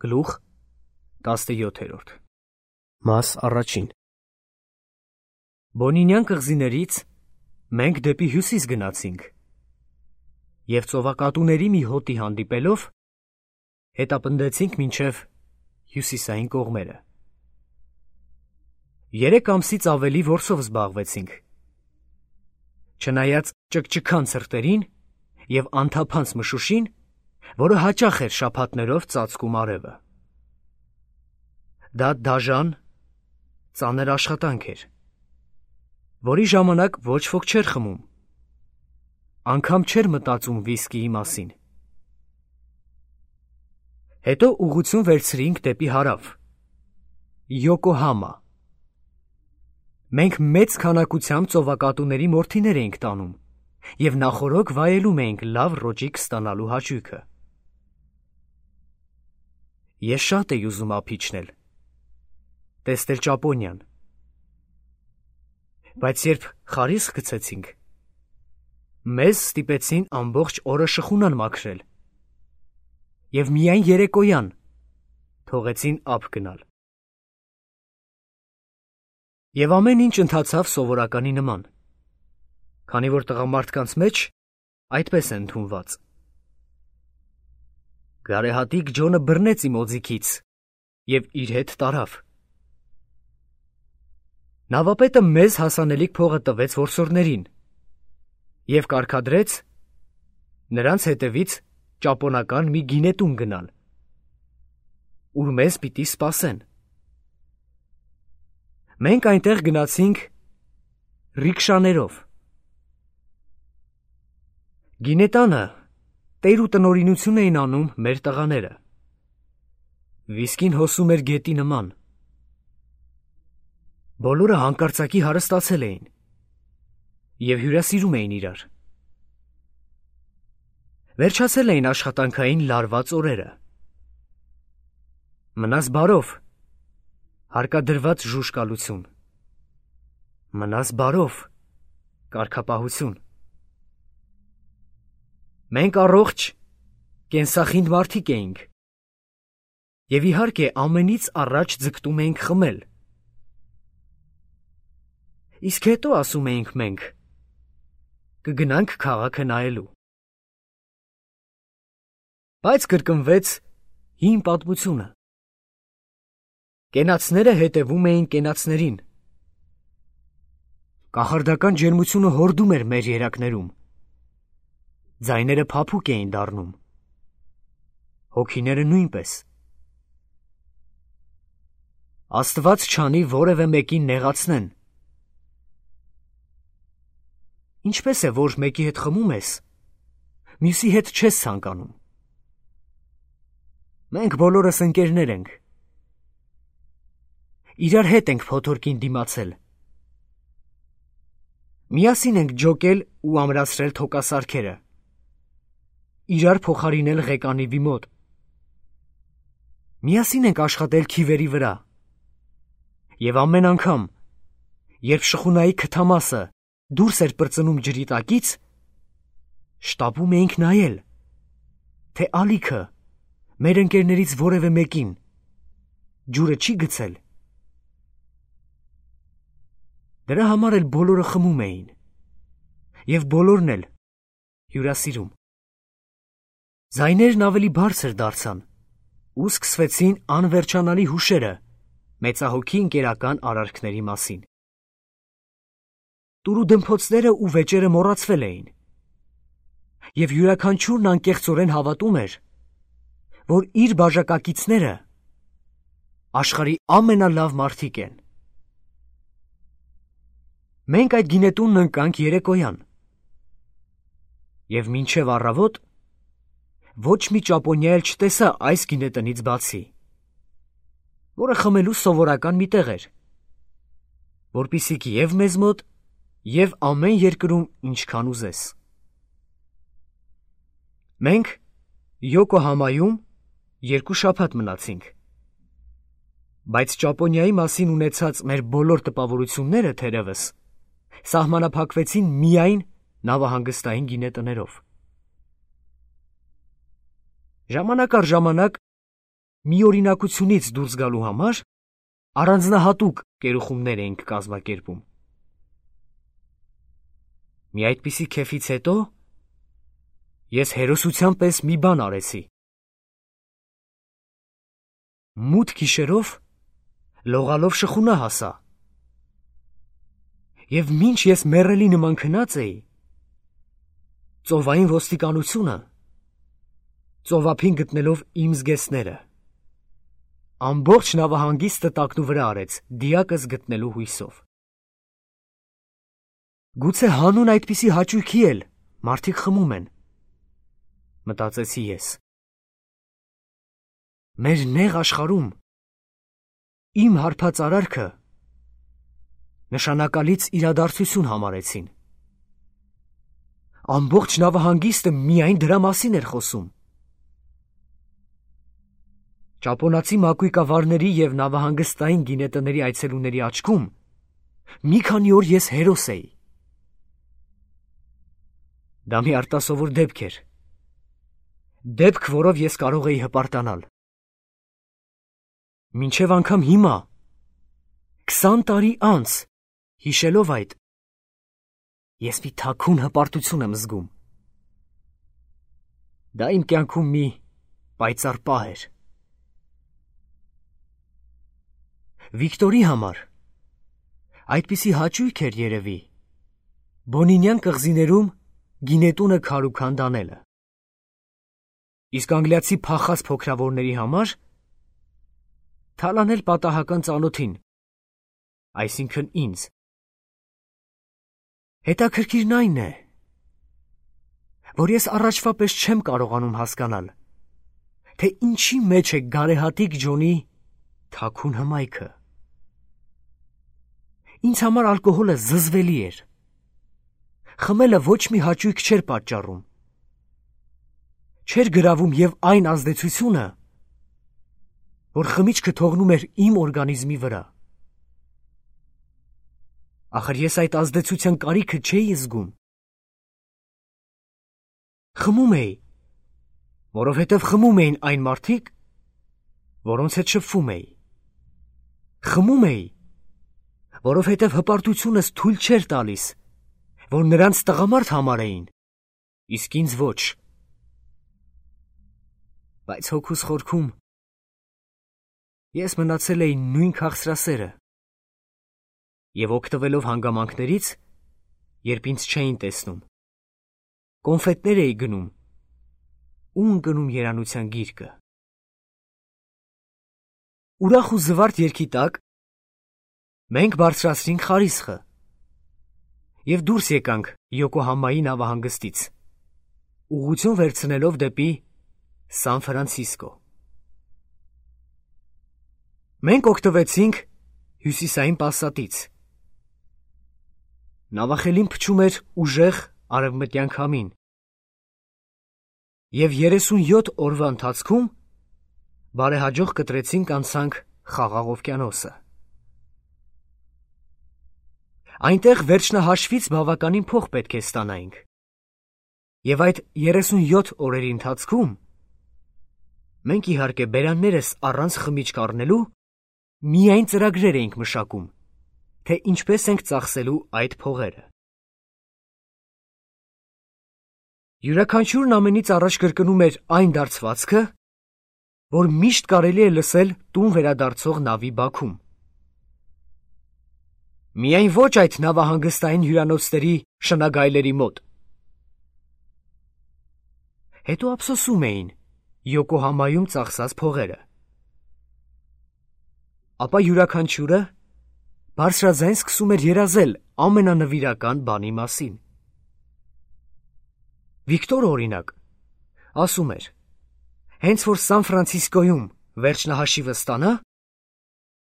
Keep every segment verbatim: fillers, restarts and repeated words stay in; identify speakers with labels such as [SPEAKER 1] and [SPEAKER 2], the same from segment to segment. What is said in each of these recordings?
[SPEAKER 1] Գլուխ տասնյոթերորդ Մաս առաջին Բոնինյան կղզիներից մենք դեպի հյուսիս գնացինք և ծովակատուների մի հոտի հանդիպելով հետապնդեցինք մինչև հյուսիսային կողմերը։ Երեք ամսից ավելի որսով զբաղվեցինք, չնայած ճկճքան ցրտերին և անթափանց մշուշին, որը հաճախ էր շաբաթներով ծածկում արևը։ Դա դաժան, ծանր աշխատանք էր, որի ժամանակ ոչ ոք չէր խմում, անգամ չէր մտածում վիսկիի մասին։ Հետո ուղղություն վերցրինք դեպի հարավ, Յոկոհամա։ Մենք մեծ քանակությամբ ծովակատուների մորթիներ էինք տանում և նախօրոք վայելում էինք լավ ռոճիկ ստանալու հաճույքը։ Ես շատ էի ուզում ափիչնել, տեսնել Ճապոնիան, բայց երբ խարիսկ գցեցինք, մեզ ստիպեցին ամբողջ օրը շխունան մաքրել և միայն երեկոյան թողեցին ափ գնալ։ Եվ ամեն ինչ ընթացավ սովորականի նման, քանի որ տղամարդկանց մեջ այդպես է ընդունված։ Գարեհատիկ Ջոնը բռնեց իմ օձիքից և իր հետ տարավ։ Նավապետը մեզ հասանելիք փողը տվեց որսորդներին և կարգադրեց նրանց հետևից ճապոնական մի գինետուն գնալ, ուր մեզ պիտի սպասեն։ Մենք այնտեղ գնացինք ռիկշաներով։ Գինետանը տեր ու տնօրինություն էին անում մեր տղաները։ Վիսկին հոսում էր գետի նման։ Բոլորը հանկարծակի հարստացել էին և հյուրասիրում էին իրար։ Վերջացել էին աշխատանքային լարված օրերը։ Մնաս բարով, հարկադրված ժուժկալություն, մնաս բարով, կարգապահություն։ Մենք առողջ, կենսախինդ մարդիկ էինք և իհարկե ամենից առաջ ձգտում էինք խմել։ Իսկ հետո, ասում էինք մենք, կգնանք քաղաքը նայելու։ Բայց կրկնվեց հին պատմությունը։ Կենացները հետևում էին կենացներին։ Կախարդական ջերմությունը հորդում էր մեր երակներում։ Ձայները փափուկ էին դառնում, հոգիները նույնպես։ Աստված չանի որևէ մեկին նեղացնեն։ Ինչպես է, որ մեկի հետ խմում ես, մյուսի հետ չես ցանկանում։ Մենք բոլորս ընկերներ ենք։ Իրար հետ ենք փոթորկին դիմացել։ Միասին ենք ջոկել ու ամրացրել թոկասարքերը, իրար փոխարինել ղեկանիվի մոտ։ Միասին ենք աշխատել քիվերի վրա և ամեն անգամ, երբ շխունայի քթամասը դուրս էր պրծնում ջրի տակից, շտապում էինք նայել, թե ալիքը մեր ընկերներից որևէ մեկին ջուրը չի գցել։ Դրա համար էլ բոլորը խմում էին և բոլորն էլ հյուրասիրում։ Ձայներն ավելի բարձր դարձան ու սկսվեցին անվերջանալի հուշերը մեծահոգի ընկերական արարքների մասին։ Տուրուդմփոցները ու վեճերը մոռացվել էին և յուրաքանչյուրն անկեղծորեն հավատում էր, որ իր բաժակակիցները աշխարհի ամենալավ մարդիկ են։ Մենք այդ գինետունն ընկանք երեկոյան և մինչև առավոտ ոչ մի ճապոնյա էլ չտեսա այս գինետնից բացի, որը խմելու սովորական մի տեղ էր, որպեսզի և մեզ մոտ, և ամեն երկրում ինչքան ուզես։ Մենք Յոկոհամայում երկու շաբաթ մնացինք, բայց Ճապոնիայի մասին ունեցած մեր բոլոր տպավորությունները թերևս սահմանափակվեցին միայն նավահանգստային գինետներով։ Ժամանակ առ ժամանակ մի օրինակությունից դուրս գալու համար առանձնահատուկ կերուխումներ էինք կազմակերպում։ Մի այդպիսի քեֆից հետո ես հերոսության պես մի բան արեցի։ Մութ գիշերով լողալով շխունա հասա, և մինչ ես մեռելի նման քնած էի, ծովային ոստիկանությունը, ծովափին գտնելով իմ զգեստները, ամբողջ նավահանգիստը տակնու վրա արեց դիակս գտնելու հույսով։ Գուցե հանուն այդպիսի հաճույքի էլ մարդիկ խմում են, մտածեցի ես։ Մեր նեղ աշխարհում իմ հարբած արարքը նշանակալից իրադարձություն համարեցին։ Ամբողջ նավահանգիստը միայն դրա մասին էր խոսում։ Ճապոնացի մակույկավարների և նավահանգստային գինետների այցելուների աչքում մի քանի օր ես հերոս էի։ Դա մի արտասովոր դեպք էր, դեպք, որով ես կարող էի հպարտանալ։ Մինչև անգամ հիմա, քսան տարի անց, հիշելով այդ, ես մի թաքուն հպարտություն եմ զգում։ Դա իմ կյանքում մի պայծառ պահ էր։ Վիկտորի համար այդպիսի հաճույք էր երևի Բոնինյան կղզիներում գինետունը քարուքան դանելը։ Իսկ անգլիացի փախած փոքրավորների համար թալանել պատահական ծանոթին, այսինքն ինձ։ Հետաքրքիրն այն է, որ ես առաջվա պես չեմ կարողանում հասկանալ, թե ինչի մեջ է գարեհատիկ Ջոնի թաքուն հմայքը։ Ինձ համար ալկոհոլը զզվելի էր։ Խմելը ոչ մի հաճույք չէր պատճառում։ Չէր գրավում և այն ազդեցությունը, որ խմիչքը թողնում էր իմ օրգանիզմի վրա։ Ախր ես այդ ազդեցության կարիքը չէի զգում։ Խմում էի, որովհետև խմում էին այն մարդիկ, որոնց հետ շփվում էի։ Խմում էի, որովհետև հպարտությունս թույլ չէր տալիս, որ նրանց տղամարդ համարեին, իսկ ինձ ոչ։ Բայց հոգուս խորքում ես մնացել էի նույն քաղցրասերը և օգտվելով հանգամանքներից, երբ ինձ չէին տեսնում, կոնֆետներ էի գնում ու ընկնում երանության գիրկը։ Ուրախ ու զվարթ երգի տակ մենք բարձրացրինք խարիսխը և դուրս եկանք Յոկոհամայի նավահանգստից, ուղղություն վերցնելով դեպի Սան Ֆրանցիսկո։ Մենք օգտվեցինք հյուսիսային պասատից։ Նավախելին փչում էր ուժեղ արևմտյան քամին, և երեսունյոթ օրվա ընթացքում բարեհաջող կտրեցինք անցանք Խաղաղ օվկիանոսը։ Այնտեղ վերջնահաշվից բավականին փող պետք է ստանայինք, և այդ երեսունյոթ օրերի ընթացքում մենք իհարկե բերաններս առանց խմիչք առնելու միայն ծրագրեր էինք մշակում, թե ինչպես ենք ծախսելու այդ փողերը։ Յուրաքանչյուրն ամենից առաջ կրկնում էր այն դարձվածքը, որ միշտ կարելի է լսել տուն վերադարձող նավի բաքում։ Միայն ոչ այդ նավահանգստային հյուրանոցների շնագայլերի մոտ։ Հետո ափսոսում էին Յոկոհամայում ծախսած փողերը։ Ապա յուրաքանչյուրը բարձրաձայն սկսում էր երազել ամենանվիրական բանի մասին։ Վիկտորը, օրինակ, ասում էր, հենց որ Սան Ֆրանցիսկոյում վերջնահաշիվը ստանա,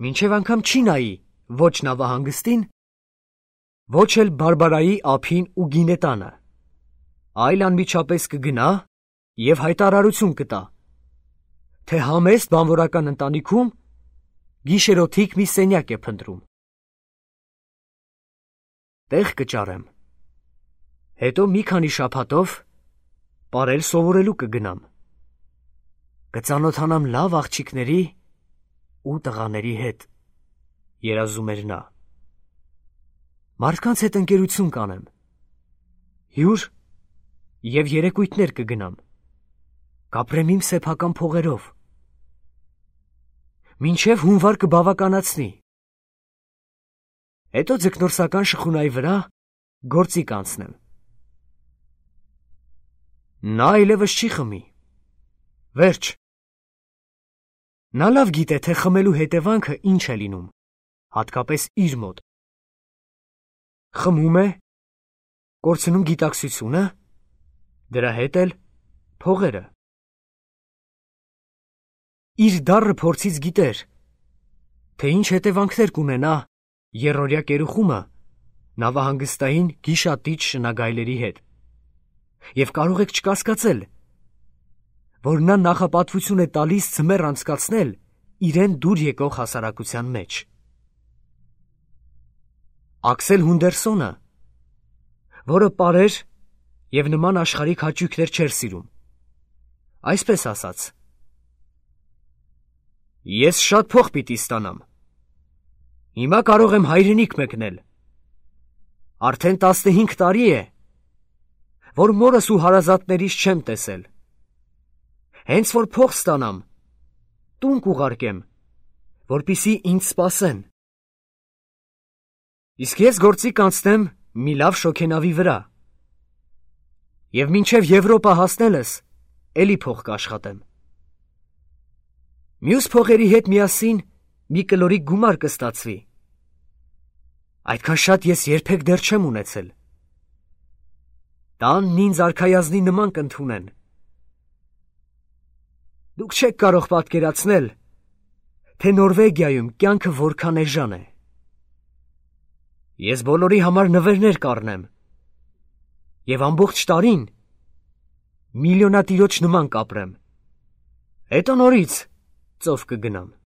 [SPEAKER 1] մինչև անգամ չի նայի ոչ նավահանգստին, ոչ էլ Բարբարայի ափին ու գինետանը, այլ անմիջապես կգնա և հայտարարություն կտա, թե համեստ բանվորական ընտանիքում գիշերօթիկ մի սենյակ է փնտրում։ Տեղ կճարեմ, հետո մի քանի շաբաթով պարել սովորելու կգնամ։ կծանոթանամ լավ աղջիկների ու տղաների հետ, երազում էր նա։ Մարդկանց հետ ընկերություն կանեմ, հյուր և երեկույթներ կգնամ, կապրեմ իմ սեփական փողերով, մինչև հունվար կբավականացնի, հետո ձկնորսական շխունայի վրա գործի կանցնեմ։ Նա այլևս չի խմի, վերջ։ Նա լավ գիտե, թե խմելու հետևանքը ինչ է լինում, հատկապես իր մոտ։ Խմում է, կորցնում գիտակցությունը, դրա հետ էլ փողերը։ Իր դառը փորձից գիտեր, թե ինչ հետևանքներ կունենա եռօրյա կերուխումը նավահանգստային գիշատիչ շնագայլերի հետ, և կարող եք չկասկածել, որ նա նախապատվություն է տալիս ձմեռ անցկացնել իրեն դուր եկող հասարակության մեջ։ Աքսել Հունդերսոնը, որը պարեր և նման աշխարհիկ հաճույքներ չէր սիրում, այսպես ասաց. «Ես շատ փող պիտի ստանամ, հիմա կարող եմ հայրենիք մեկնել, արդեն տասնհինգ տարի է, որ մորս ու հարազատներիս չեմ տեսել, հենց որ փող ստանամ, տուն կուղարկեմ, որպեսզի ինձ սպասեն, իսկ ես գործի կանցնեմ մի լավ շոգենավի վրա, և մինչև Եվրոպա հասնելս էլի փող կաշխատեմ, մյուս փողերի հետ միասին մի կլորիկ գումար կստացվի, այդքան շատ ես երբեք դեռ չեմ ունեցել, տանն ինձ արքայազնի նման կընդունեն, դուք չեք կարող պատկերացնել, թե Նորվեգիայում կյանքը որքան էժան է, ես բոլորի համար նվերներ կառնեմ, և ամբողջ տարին միլիոնատիրոջ նման կապրեմ, հետո նորից ծով կգնամ։